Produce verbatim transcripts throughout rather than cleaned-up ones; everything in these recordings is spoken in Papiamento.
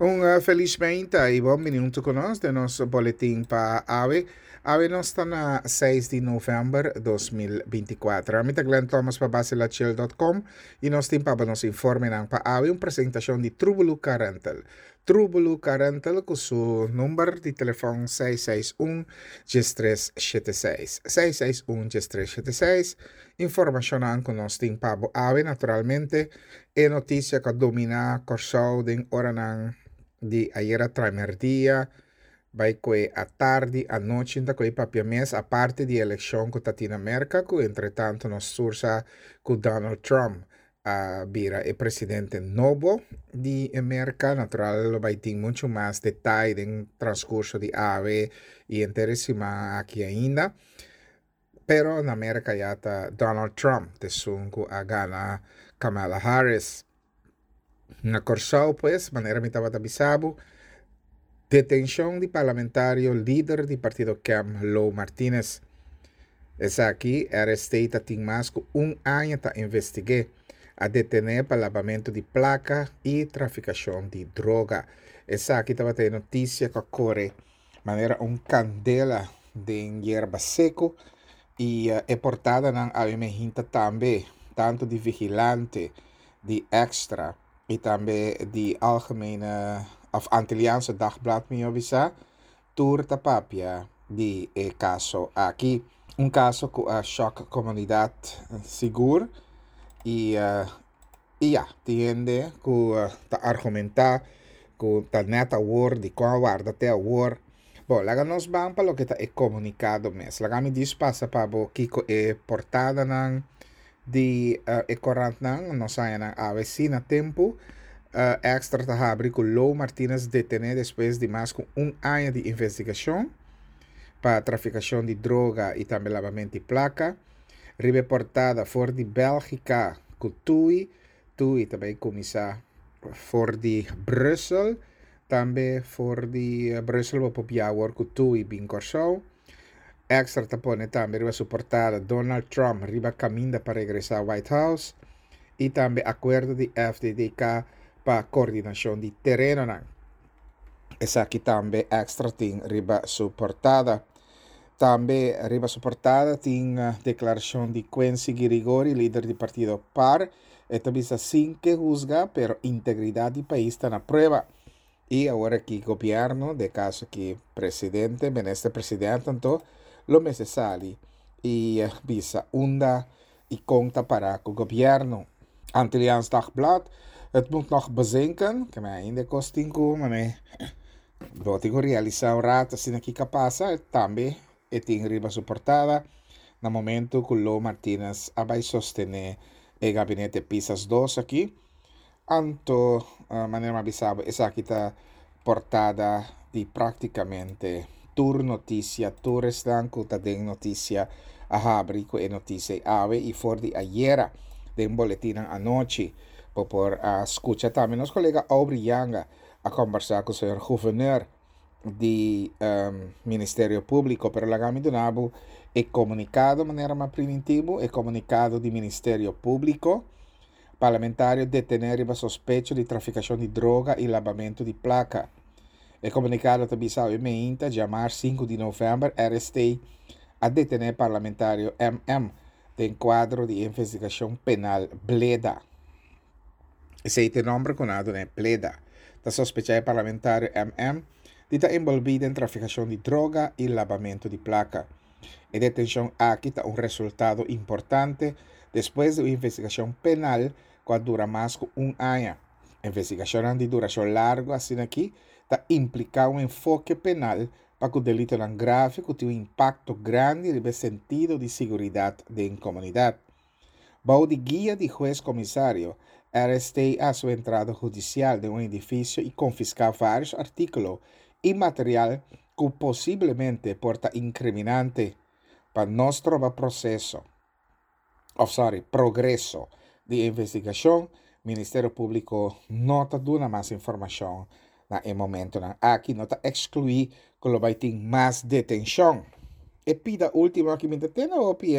Un uh, felismente i bon bini huntu ku nos den nos boletin pa awe. Awe nos ta na seis di novèmber dos mil binti kuater. Ami ta Glenn Thomas pa basilachel punto com i nos tin pa nos informenan pa awe un presentashon di Trubulu Car Rental. Trubulu Car Rental ku su number di telefòn seis seis un tres sete seis. seis seis un tres sete seis. Informashon ku nos tin pa awe, naturalmente, e notisia ku a dominá Kòrsou den oranan di ayera tramèrdia, bai kue atardi, anochi, ta kue papia mes, aparte di elekshon ku ta tin na Merka, ku entretantu nos tur sa ku Donald Trump a bira e presidente nobo di Merka. Natural, bai tin muchu mas detaye den transkurso di awe i henter e siman aki ainda. Pero na Merka ya ta Donald Trump t'esun ku a gana Kamala Harris. Na Kòrsou, pues, manera mi tabata bisa bo, detenshon di parlamentario lider di partido K E M, Lo Martinez. Esaki, R S T tin mas ku un aña ta investigá. A detené pa labamentu di plaka i trafikashon di droga. Esaki tabata notisia ku a kore manera un kandela den yerba seku i uh, e portadanan awe mainta tambe, tantu di Vigilante, di Extra i tambe di Algemene of Antilliaanse Dagblad, mi bisa, tur ta papia di e kaso aki. Un kaso ku a shock komunidat sigur i uh, i ja, tin hende ku uh, ta argumentá ku ta net awor, di kon warda te awor. Bon, laga nos ban pa loke ta e komunikado mes. Laga mi djis pasa pa bo kiko e portadanan di uh, e korantnan nos a haña awe si na tempu. Uh, Extra ta habri ku Lo Martinez detené despues di mas ku un aña di investigashon pa trafikashon di droga i tambe labamentu di plaka. Riba portada, for di Bélgika ku Tui, Tui tambe a kuminsá for di Brussel, tambe for di Brussel pa biaha ku Tui bin Kòrsou. Extra ta pone tambe riba su portada Donald Trump riba kaminda pa regresá White House i tambe akuerdo di F D D K pa koordinashon di terenonan. Esaki tambe Extra tin riba su portada. Tambe riba su portada tin deklarashon di Quincy Girigori, lider di partido P A R. E ta bisa sin ke husga, pero integridat di pais ta na prueba. I awor aki gobièrnu, den kaso ku presidente, minister presidente, anto, lo mester sali i bisa unda i kon ta para ku gobièrnu. Antilliaans Dagblad, "Het moet nog bezinken", ku mi ainda kos tin ku, ma bo tin ku realisá un ratu asina kiko a pasa, tambe e tin riba su portada na momento ku Lo Martinez a bai sostené e gabinete Pisas dos aki. Anto, uh, manera mi a bisa bo, esaki ta portada di práktikamente tur notisia, tur esnan ku ta den notisia a habri ku e notisia awe i for di ayera den boletin anochi. Bo por a skucha tambe nos kolega Aubrey Yanga a kombersá ku señor gouverneur di um, Ministerio Públiko, pero laga mi duna bo e komunikado manera m'a primintí bo, e komunikado di Ministerio Públiko: parlamentario detené riba sospecho di trafikashon di droga i labamentu di plaka. E komunikado ta bisa: mainta, djamars sinku di novèmber, R S T a detené parlamentario M M den kuadro di investigashon penal Bleda. Esei ta e nòmber ku nan a dun'é, Bleda. Ta sospechá e parlamentario M M di ta envolví den trafikashon di droga i labamentu di plaka. E detenshon aki ta un resultado importante despues di un investigashon penal ku a dura mas ku un aña. Investigashon di durashon largu asina aki ta impliká un enfoke penal pa ku delitonan grave ku tin un impakto grandi den sentido di seguridat di komunidat. Bou di guia di hues komisario, R S T a hasi entrada hudisial den un edifisio i konfiská vários artíkulo i material ku posiblemente por ta inkriminante. Pa no stroba proseso, oh, sorry, progreso di investigashon, Ministerio Públiko no ta duna mas informashon na e momentonan aki. No ta ekskluí ku lo bai tin mas detenshon. E pida último aki mi tene hopi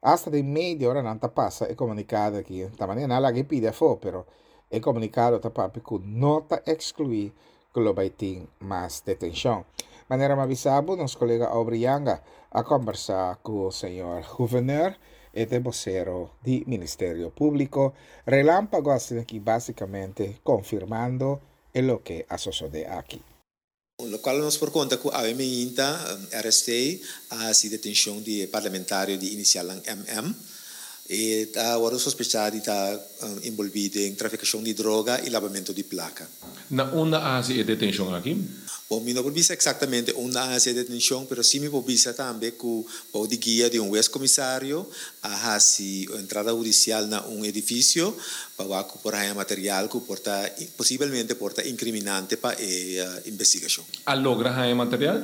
hasta di media ora nan ta pasa e komunikado aki. Ta manera nan laga pida afó, pero E komunikado ta papia ku no ta ekskluí ku lo bai tin mas detenshon. Manera mi a bisa bo, nos kolega Aubrey Yanga a kombersá ku señor Gouverneur, e ta bosero di Ministerio Públiko. Relámpago asina aki básikamente konfirmando e loke a sosodé aki. Lokual nos por konta ku awe mainta R S T a hasi detenshon di e parlamentario di inisialnan M M. E ta wòrdu sospechá di ta enbolbí den trafikashon di droga i labamentu di plaka. Na unda a hasi e detenshon aki? Bon, mi no por bisa eksaktamente unda a hasi e detenshon, pero sí mi por bisa tambe ku bou di guia di un hues komisario a hasi un entrada hudisial na un edifisio pa wak ku por haña material ku por ta posibelmente por ta inkriminante pa e investigashon. A logra haña material?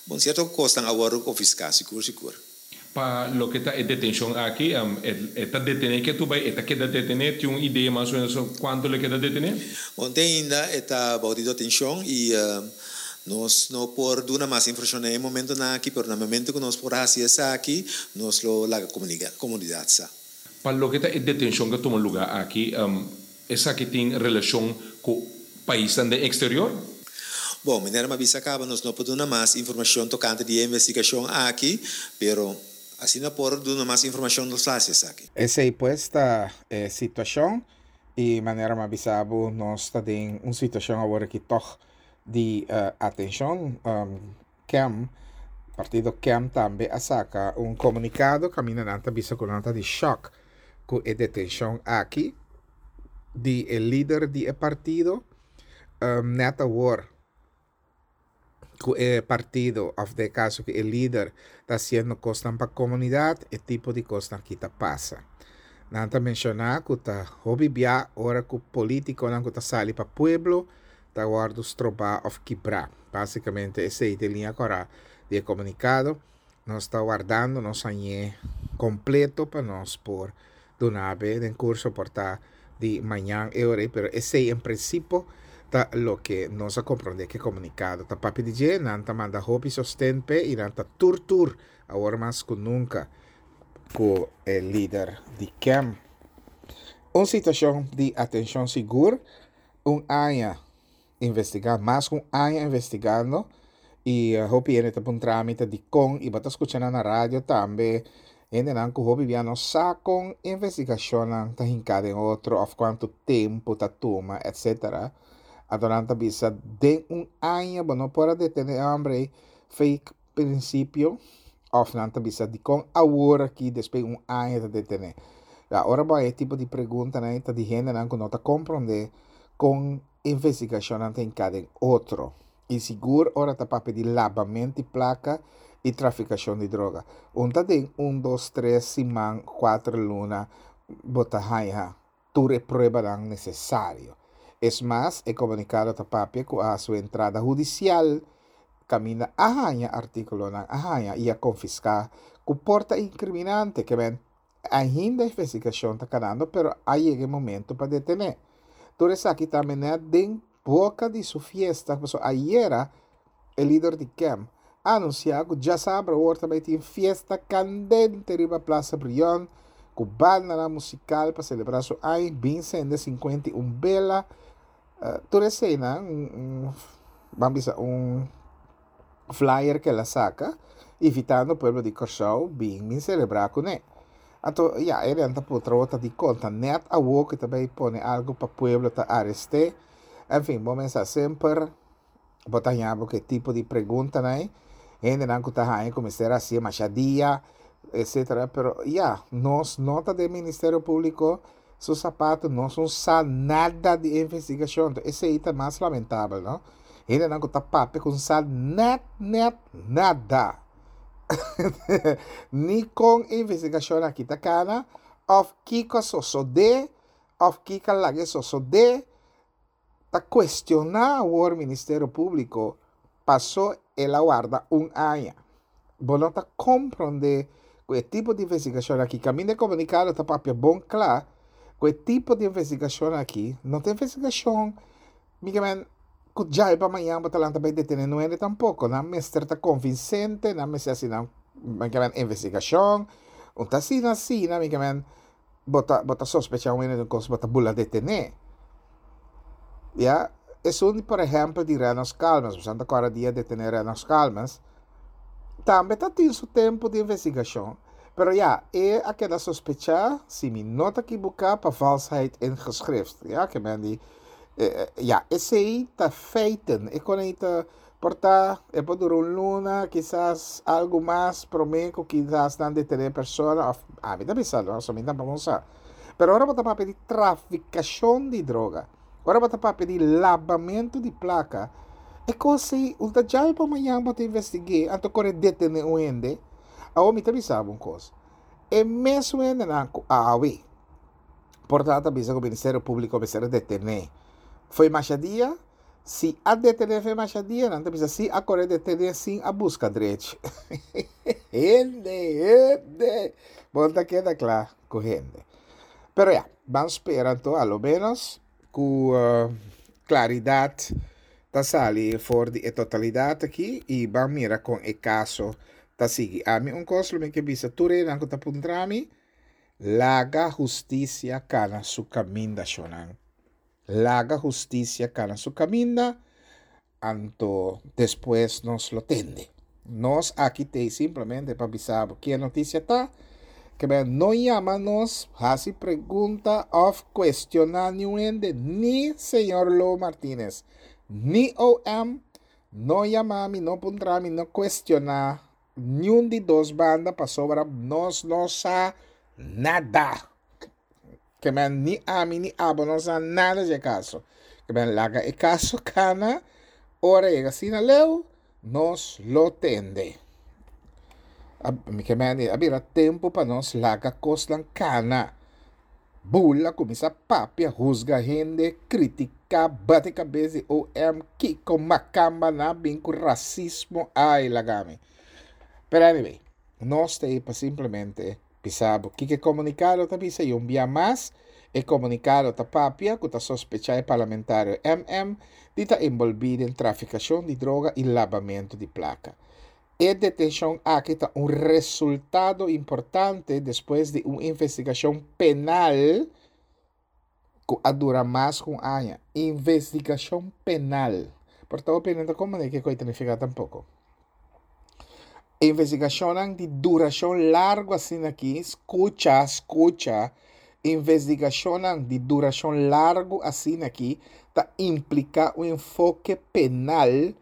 Bon, sierto kosnan a wòrdu konfiská, sigur sigur. Pa loke ta e detenshon aki, e ta detené ke tu bai, e ta keda detené, tin un idea mas o menos kuantu lo keda detené? Bon, te ainda e ta bou di detenshon i nos no por duna mas informashon na e momentonan aki, pero na momento ku nos por hasi esaki, nos lo laga komunidat sa. Pa loke ta e detenshon ku a tuma lugá aki, esaki tin relashon ku paisnan den eksterior? Bon, manera mi a bisa kaba, nos no por duna mas informashon tokante di e investigashon aki, pero asina por duna mas informashon nos la hasi esaki. Esei pues ta e situashon i manera mi a bisa bo nos ta den un situashon awor aki tòg di atenshon. K E M, partido K E M tambe a saka un komunikado kaminda nan ta bisa ku nan ta di shòk ku e detenshon aki di e lider di e partido. Nèt awor ku e partido, òf den kaso ku e lider ta hasiendo kosnan pa komunidat, e tipo di kosnan aki ta pasa. Nan ta menshoná ku ta hopi bia ora ku polítikonan ku ta sali pa pueblo ta wòrdu strobá òf kibrá. Básikamente esei ta e liña kòrá di e komunikado. Nos ta wardando nos hañ'é kompleto pa nos por duna be den kurso por ta di mañan e ora ei, pero esei en prinsipio ta loke nos a komprondé ku e komunikado ta papia di dje. Nan ta manda hopi sosten p'e i nan ta tur tur awor mas ku nunka ku e lider di K E M. Un situashon di atenshon sigur, un aña investigá, mas ku un aña investigando, i hopi hende ta puntra mi ta dikon, i bo ta skucha nan na radio tambe, hendenan ku hopi bia no sa kon investigashonnan ta hinká den otro òf kuantu tempu ta tuma, etcétera. Anto nan ta bisa den un aña bo no por a detené e hòmber ei fake prinsipio, òf nan ta bisa dikon awor aki despues un aña ta detené. Ja, ora bo haña e tipo di preguntanan ei ta di hendenan ku no ta komprondé kon investigashonnan ta hinká den otro. I sigur ora ta papia di labamento di plaka i trafikashon di droga. Un ta den un, dos, tres siman, kuater luna bo ta haña tur e pruebanan nesesario. Es mas, e komunikado ta papia ku a su entrada hudisial kaminda a haña artíkulonan a haña i a konfiská ku por ta inkriminante, ke men ainda investigashon ta kanando, pero a yega e momento pa detené. Tur esaki tambe nèt den boka di su fiesta, pasobra ayera e lider di K E M a anunsiá ku djasabra awor ta bai tin fiesta kandente riba Plaza Brion ku bandanan musikal pa selebrá su aña, bin sende sinkuenta i un bela. Tur eseinan, ban bisa un flyer ku el a saka, invitando pueblo di Kòrsou bin bin selebrá kuné. Anto, ya, e renta putra awor ta di konta nèt awor ku ta bai pone algu pa pueblo ta arest'é. En fin, bo mester semper bo ta haña bo ku e tipo di preguntanan ei, hendenan ku ta haña ku mester hasié masha dia, etcétera. Pero ya, nos no ta den Ministerio Públiko su sapato, nos no sa nada di investigashon. Entonces, esei ta mas lamentabel, no? Hendenan ku ta papia ku no sa nèt, nèt, nada. Ni kon investigashon aki ta kana, òf kiko sosodé, òf kiko laga sosodé, ta kuestioná awor Ministerio Públiko pasó el a warda un aña. Bo no ta komprondé ku e tipo di investigashon aki, kaminda e komunikado ta papia bon kla, ku e tipo di investigashon aki, no ta investigashon, mi ke men, ku djai pa mañana bo ta lanta bai detené nuende tampoko. Nan mester ta konvinsente, nan mester hasi nan, mi ke men, investigashon, un ta asina asina, mi ke men, bo ta, bo ta sospechá un hende di un kos, bo ta bula detené. Ja, esun por ehèmpel di Rennox Calmes, Santa Clara dia detené Rennox Calmes, tambe tabatin su tempu di investigashon. Pero ja, e a keda sospechá, si mi no ta ekivoká, pa valsheid in geschrift. Ja, ke men di, eh, ja, esei ta feiten. E kon ta porta, e por dura un luna, kisas algu mas, promé ku kisas nan detené persona, òf, ah, mi ta pensando, no, mi tampoko sa. Pero ora bo ta papia di trafikashon di droga. Ora bo ta papia di labamentu di plaka. E kos ei, un ta djawe pa mañan bo ta investigá, anto kore detené un hende. Awor mi ta bisa un kos. E mesun hendenan ku awe. Por ta bisa ku Ministerio Públiko mester detené. Foi masha dia, si a detené foi masha dia, nan ta bisa si a kore detené sin a buska drechi. Hende, hende. Bon, ta keda kla ku hende. Pero ya, ban spera anto, a lo menos ku uh, klaridat ta sali for di e totalidat aki i ban mira kon e kaso ta sigui. Ami un kos lo mi ke bisa tur nan ku ta puntra mi, laga hustisia kana su kaminda, shonan. Laga hustisia kana su kaminda, anto despues nos lo tende. Nos aki t'ei simplemente pa bisa ki notisia ta, ke no yama nos, hasi pregunta òf kuestioná ningun hende, ni señor Lo Martinez, ni O M, no yama mi, no puntra mi, no kuestioná ningun di dos banda pasobra nos no sa nada. Ke men ni ami ni abo no sa nada di kaso. Ke men laga e kaso kana, ora yega asina leu, nos lo tende. Mi ke men a bira tempu pa nos laga kosnan kana. Bula, kuminsá papia, husga hende, kritiká, bati kabes di O M, kiko makamba na bin ku rasismo, ai, laga mi. Pero anyway, nos t'ei pa simplemente bisa bo kiko e komunikado ta bisa i un bia mas, e komunikado ta papia ku ta sospechá e parlamentario M M di ta envolví den trafikashon di droga i labamentu di plaka. E detenshon aki ta un resultado importante despues di un investigashon penal ku a dura mas ku un aña. Investigashon penal. Por tantu, penal kon kiko ta nifiká tampoko. Investigashon di durashon largu asina aki, skucha, skucha, investigashon di durashon largu asina aki, ta impliká un enfoke penal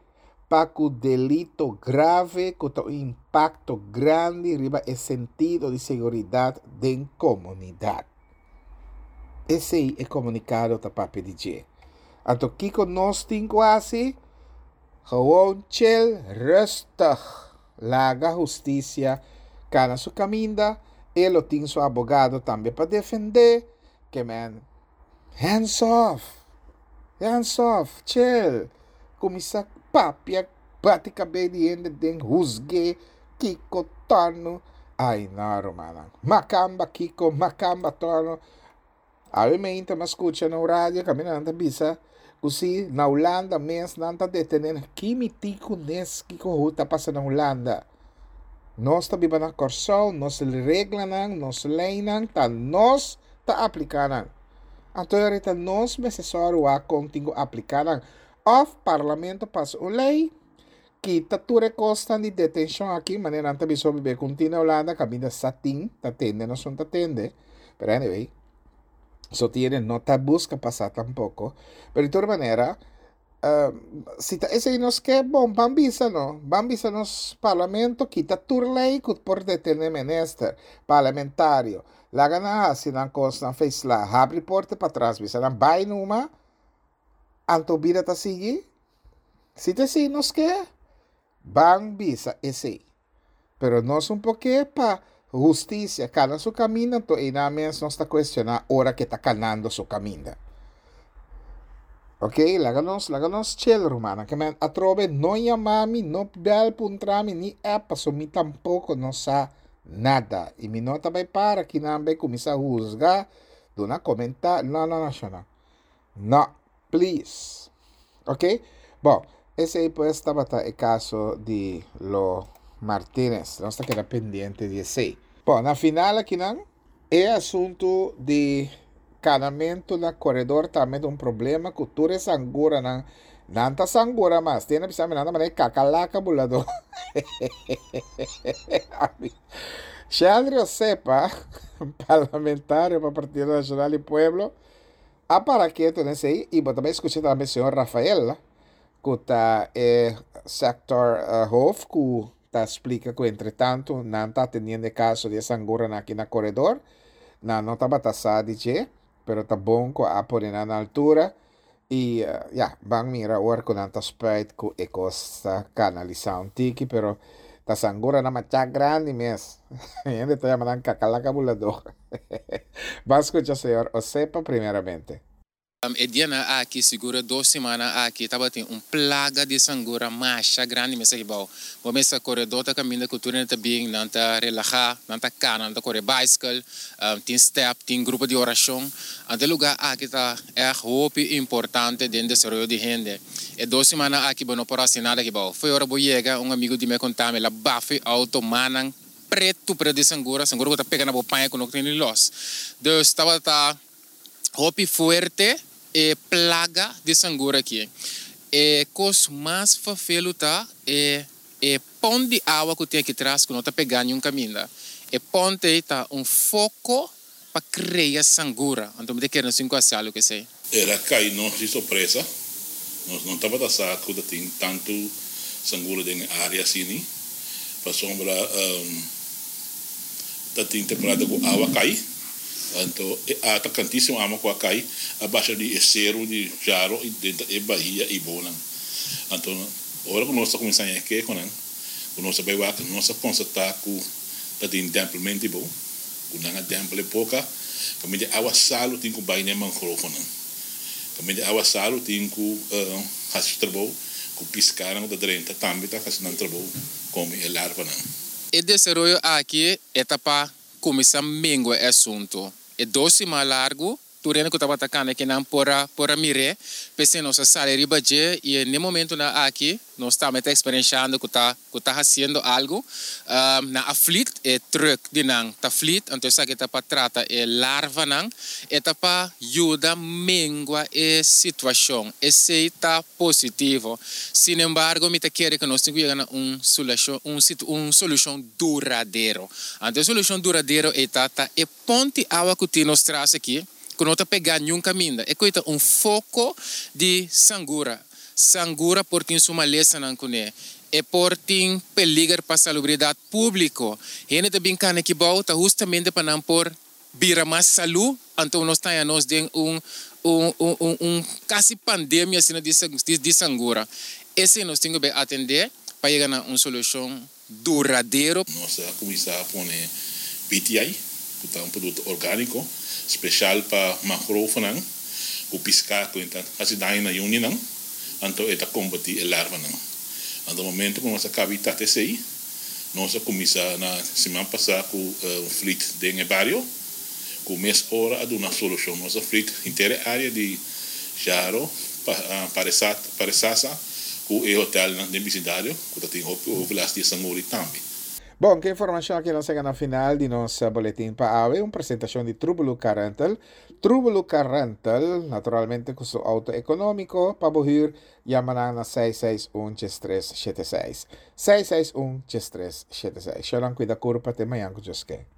pa ku delito grave ku un impakto grandi riba e sentido di seguridat den komunidat. Esei e komunikado ta papia di dje. Anto kiko nos tin ku hasi? Gewoon chill, rustig. Laga hustisia kana su kaminda, e lo tin su abogado tambe pa defendé. Ke men, hands off. Hands off, chill. Kuminsá papia, bati kabes di hende den husga, kiko torno. Ai, no, ruman. Makamba kiko, makamba torno. Awe mainta m'a skucha na radio, kaminda nan ta bisa, ku si na Hulanda mes nan ta detené ki mi tin kunes kiko ta pasa na Hulanda. Nos ta biba na Kòrsou, nos reglanan, nos leinan, ta nos ta apliká nan. Anto ahorita nos mester sòru kon tin ku apliká nan. Òf parlamento pasa un lei, kita tur e kosnan di detenshon aki, manera nan ta bisa biba ku tin na Hulanda, kaminda sa tin, ta tende, no son ta tende. Pero anyway, so tiene no ta buska pasa tampoko. Pero di tur manera, uh, si ta esei nos ke, bon, ban bisa no, ban bisa nos parlamento, kita tur lei ku por detené minister, parlamentario. Laga nan hasi nan kos nan feisla, habri porta patras, bisa nan bai numa, anto bida ta sigui. Si ta esei nos ke, ban bisa esei. Pero nos un por ke pa hustisia kana su kaminda, anto einan mes nos ta kuestioná ora ku e ta kanando su kaminda. Ok, laga nos, laga nos chill, ruman. Ke men atrobe no yama mi, no bel puntra mi, ni app, paso mi tampoko no sa nada. I mi no ta bai para ku nan bai kuminsá husga, duna komentario, no, no, no, no. No, please. Ok? Bon, esei pues tabata e kaso di Lo Martinez. Nos ta keda pendiente di esei. Bon, na final aki nan, e asuntu di Kanamentu na koredor tambe ta un problema ku tur e sanguranan. Nan ta sangura mas. Tin a bisa mi nan ta manera kakalaka buladó. Sheldry Osepa, parlamentario pa Partido Nashonal di Pueblo, a para ketu nesei i bo ta bai skucha tambe señor Rafael ku ta e sector hoofd ku ta splika ku entretantu nan ta atendiendo e kaso di e sanguranan aki na koredor. Nan no tabata sa di dje, pero ta bon ku a pone nan na altura i ya, ban mira ora ku nan ta spuit ku e kos ta kanalisá un tiki, pero ta sanguranan masha grandi mes. Hende ta yama nan kakalaka buladó. Ban skucha señor Osepa primeramente. E dianan aki, sigur e dos simannan aki, tabatin un plaga di sangura masha grandi mester aki bou. Bo mester koredó ta kaminda ku tur hende ta bin, nan ta relahá, nan ta kana, nan ta kore baiskel, tin stèp, tin grupo di orashon. Anto e lugá aki ta ègt hopi importante den desaroyo di hende. E dos simannan aki bo no por hasi nada aki bou. Fo'i ora bo yega, un amigu di mi a konta mi, el a bafa e outo, mannan pretu pretu di sangura, sangura ku ta pega na bo paña ku no tin ni lòs. Dus tabata hopi fuerte e plaga di sangura aki. E kos mas fafelu ta e e pont di awa ku tin aki tras ku no ta pega niun kaminda. E pont ei ta un foko pa krea sangura. Anto mi ta kere nos tin ku hasi algu ku esei. El a kai nos di sorpresa. Nos no tabata sa ku ta tin tantu sangura den e área asini, pasobra ta tin temporada ku awa kai, anto e a ta kantísimo awa ku a kai a basha di e seru di Jaro i drenta e bahia i bonan. Anto ora ku nos ta kuminsá haña e kehonan ku nos a bai wak, nos a konstatá ku ta tin dèmpelment di bou, ku nan a dèmpel e boka kaminda e awa salu tin ku bai na e mangrofonan, kaminda e awa salu tin ku hasi su trabou, ku piskánan ku ta drenta tambe ta hasi nan trabou kome e larvanan. E desaroyo aki e ta pa kuminsá mengua e asuntu. E dos siman largu tur hende ku tabata kana kinan por a por a mir'é. P'esei nos a sali riba dje i e n'e momentunan aki nos tambe ta eksperenshando ku ta ku ta hasiendo algu. Nan a flit, e trùk di nan ta flit, anto esaki ta pa trata e larvanan. E ta pa yuda mengua e situashon. Esei ta positivo. Sinembargo mi ta kere ku nos tin ku yega na un sulashon un un solushon duradero. Anto e solushon duradero ei ta ta e ponti awa ku tin nos tras aki ku no ta pegá niun kaminda. E koe ta un foko di sangura. Sangura por tin su malesanan kuné. E por tin peliger pa salubridat públiko. Hende ta bin kana aki bou ta hustamente pa nan por bira mas salú, anto nos ta haña nos den un un un un kasi pandemia asina di di sangura. Esei nos tin ku bai atendé pa yega na un solushon duradero. Nos a kuminsá pone B T I, ku ta un produkto orgániko speshal pa mangrofonan ku piská ku ta hasi daño na yuninan, anto e ta kombatí e larvanan. Anto momento ku nos a kaba di trata esei, nos a kuminsá na siman pasá ku un flit den e bario, ku mes ora a duna solushon. Nos a flit henter e área di Jaro, Paresasa ku e hotelnan den bisindario ku ta tin hopi overlast di e sanguri tambe. Bon, ku e informashon aki nos a yega na final di nos boletin pa awe, un presentashon di Trubelu Car Rental. Trubelu Car Rental, naturalmente ku su auto ekonómiko pa bo hür, yama nan na seis seis un djes tres shete seis. Seis seis un djes tres shete seis. Shownan kuida kurpa te mañan ku Dios ke.